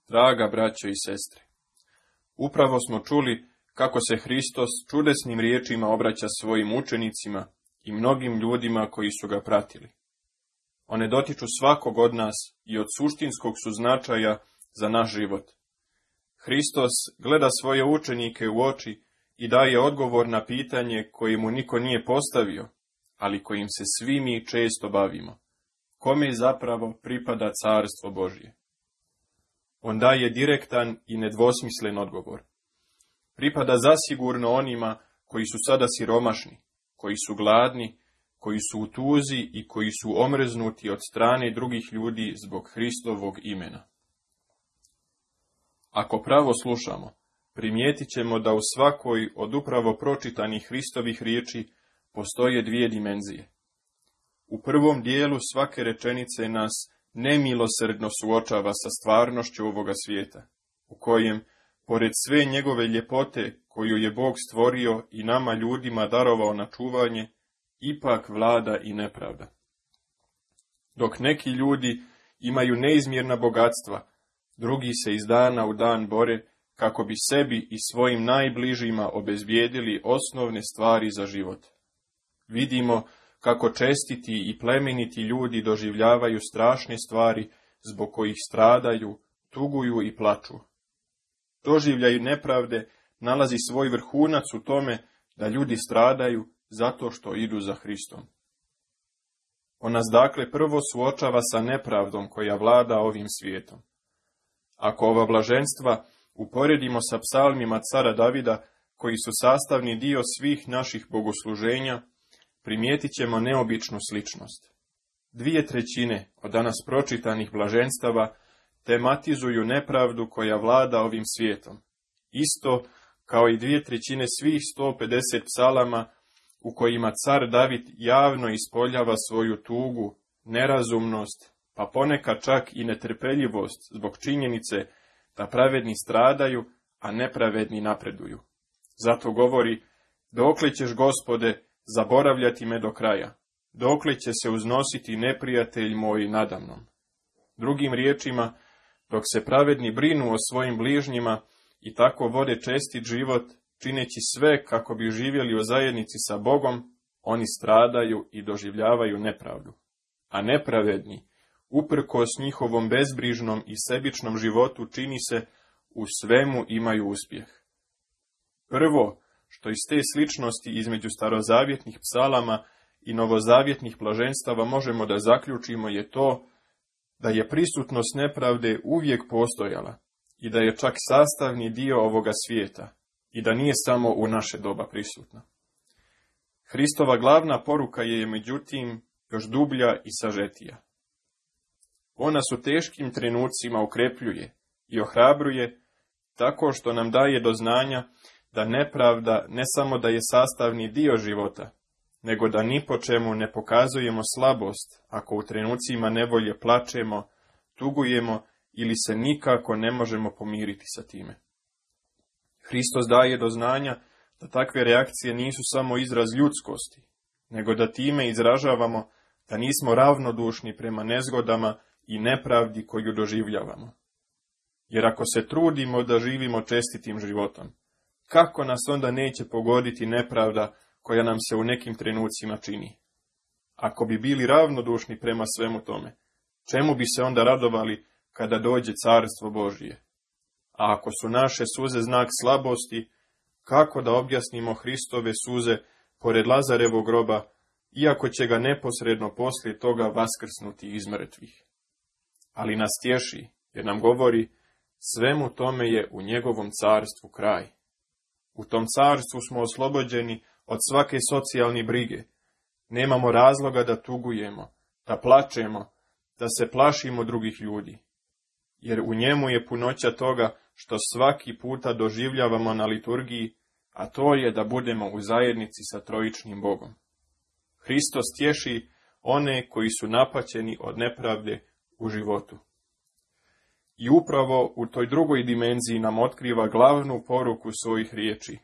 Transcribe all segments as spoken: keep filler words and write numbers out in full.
Draga braćo i sestre, upravo smo čuli kako se Hristos čudesnim riječima obraća svojim učenicima i mnogim ljudima koji su ga pratili. One dotiču svakog od nas i od suštinskog su značaja za naš život. Hristos gleda svoje učenike u oči i daje odgovor na pitanje koje mu niko nije postavio, ali kojim se svi mi često bavimo. Kome zapravo pripada carstvo Božje? On daje direktan i nedvosmislen odgovor. Pripada zasigurno onima koji su sada siromašni, koji su gladni, koji su u tuzi i koji su omrznuti od strane drugih ljudi zbog Hristovog imena. Ako pravo slušamo, primijetit ćemo da u svakoj od upravo pročitanih Hristovih riječi postoje dvije dimenzije. U prvom dijelu svake rečenice nas nemilosrdno suočava sa stvarnošću ovoga svijeta, u kojem, pored sve njegove ljepote koju je Bog stvorio i nama ljudima darovao na čuvanje, ipak vlada i nepravda. Dok neki ljudi imaju neizmjerna bogatstva, drugi se iz dana u dan bore kako bi sebi i svojim najbližima obezbijedili osnovne stvari za život. Vidimo kako čestiti i plemeniti ljudi doživljavaju strašne stvari zbog kojih stradaju, tuguju i plaču. Doživljaj nepravde nalazi svoj vrhunac u tome da ljudi stradaju zato što idu za Hristom. On nas dakle prvo suočava sa nepravdom koja vlada ovim svijetom. Ako ova blaženstva uporedimo sa psalmima cara Davida, koji su sastavni dio svih naših bogosluženja, primijetit ćemo neobičnu sličnost. Dvije trećine od danas pročitanih blaženstava tematizuju nepravdu koja vlada ovim svijetom. Isto kao i dvije trećine svih sto pedeset psalama u kojima car David javno ispoljava svoju tugu, nerazumnost, pa ponekad čak i netrpeljivost zbog činjenice da pravedni stradaju, a nepravedni napreduju. Zato govori: dokle ćeš, Gospode, zaboravljati me do kraja, dokle će se uznositi neprijatelj moj nadamnom. Drugim riječima, dok se pravedni brinu o svojim bližnjima i tako vode čestit život, čineći sve kako bi živjeli u zajednici sa Bogom, oni stradaju i doživljavaju nepravdu. A nepravedni, uprkos njihovom bezbrižnom i sebičnom životu, čini se, u svemu imaju uspjeh. Prvo, što iz te sličnosti između starozavjetnih psalama i novozavjetnih blaženstava možemo da zaključimo, je to da je prisutnost nepravde uvijek postojala i da je čak sastavni dio ovoga svijeta i da nije samo u naše doba prisutna. Hristova glavna poruka je, međutim, još dublja i sažetija. Ona su teškim trenucima ukrepljuje i ohrabruje tako što nam daje do znanja da nepravda ne samo da je sastavni dio života, nego da ni po čemu ne pokazujemo slabost ako u trenucima nevolje plačemo, tugujemo ili se nikako ne možemo pomiriti sa time. Hristos daje do znanja da takve reakcije nisu samo izraz ljudskosti, nego da time izražavamo da nismo ravnodušni prema nezgodama i nepravdi koju doživljavamo. Jer ako se trudimo da živimo čestitim životom, kako nas onda neće pogoditi nepravda koja nam se u nekim trenucima čini? Ako bi bili ravnodušni prema svemu tome, čemu bi se onda radovali kada dođe carstvo Božje? A ako su naše suze znak slabosti, kako da objasnimo Hristove suze pored Lazarevog groba, iako će ga neposredno poslije toga vaskrsnuti iz mrtvih? Ali nas tješi, jer nam govori: svemu tome je u njegovom carstvu kraj. U tom carstvu smo oslobođeni od svake socijalne brige. Nemamo razloga da tugujemo, da plačemo, da se plašimo drugih ljudi. Jer u njemu je punoća toga što svaki puta doživljavamo na liturgiji, a to je da budemo u zajednici sa trojičnim Bogom. Hristos tješi one koji su napaćeni od nepravde u životu. I upravo u toj drugoj dimenziji nam otkriva glavnu poruku svojih riječi.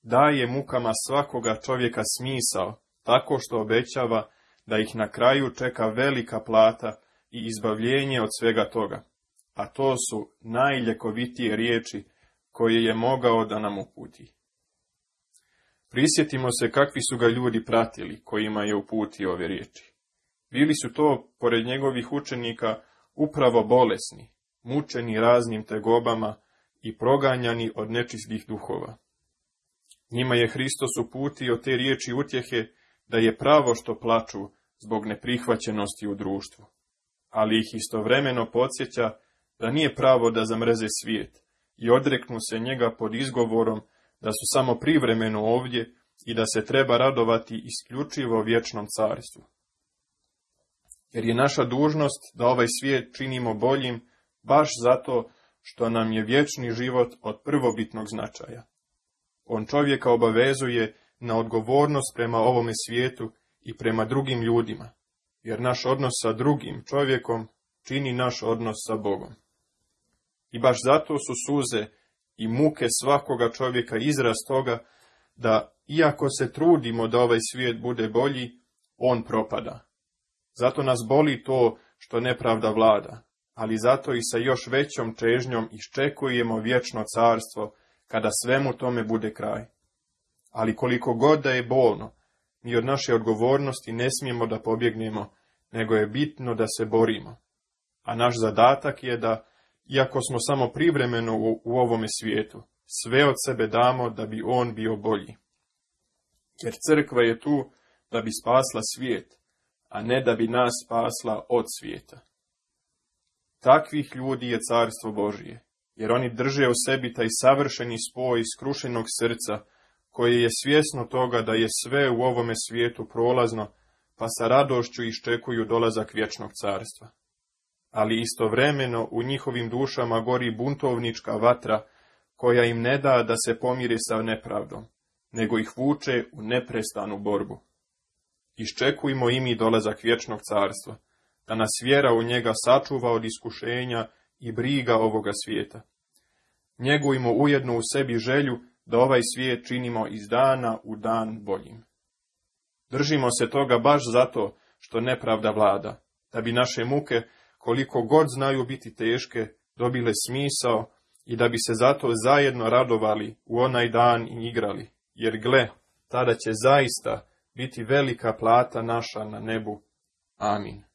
Daje mukama svakoga čovjeka smisao, tako što obećava da ih na kraju čeka velika plata i izbavljenje od svega toga, a to su najljekovitije riječi koje je mogao da nam uputi. Prisjetimo se kakvi su ga ljudi pratili kojima je uputio ove riječi. Bili su to, pored njegovih učenika, upravo bolesni, mučeni raznim tegobama i proganjani od nečistih duhova. Njima je Hristos uputio te riječi utjehe da je pravo što plaču zbog neprihvaćenosti u društvu, ali ih istovremeno podsjeća da nije pravo da zamrze svijet i odreknu se njega pod izgovorom da su samo privremeno ovdje i da se treba radovati isključivo vječnom carstvu. Jer je naša dužnost da ovaj svijet činimo boljim baš zato što nam je vječni život od prvobitnog značaja. On čovjeka obavezuje na odgovornost prema ovome svijetu i prema drugim ljudima, jer naš odnos sa drugim čovjekom čini naš odnos sa Bogom. I baš zato su suze i muke svakoga čovjeka izraz toga da, iako se trudimo da ovaj svijet bude bolji, on propada. Zato nas boli to što nepravda vlada, ali zato i sa još većom čežnjom iščekujemo vječno carstvo, kada svemu tome bude kraj. Ali koliko god da je bolno, mi od naše odgovornosti ne smijemo da pobjegnemo, nego je bitno da se borimo. A naš zadatak je da, iako smo samo privremeno u, u ovome svijetu, sve od sebe damo da bi on bio bolji. Jer crkva je tu da bi spasla svijet, a ne da bi nas spasla od svijeta. Takvih ljudi je carstvo Božije, jer oni drže u sebi taj savršeni spoj skrušenog srca, koje je svjesno toga da je sve u ovome svijetu prolazno, pa sa radošću iščekuju dolazak vječnog carstva. Ali istovremeno u njihovim dušama gori buntovnička vatra, koja im ne da da se pomire sa nepravdom, nego ih vuče u neprestanu borbu. Iščekujmo i mi dolazak vječnog carstva, da nas vjera u njega sačuva od iskušenja i briga ovoga svijeta. Njegujmo ujedno u sebi želju da ovaj svijet činimo iz dana u dan boljim. Držimo se toga baš zato što nepravda vlada, da bi naše muke, koliko god znaju biti teške, dobile smisao i da bi se zato zajedno radovali u onaj dan i igrali, jer gle, tada će zaista biti velika plata naša na nebu. Amin.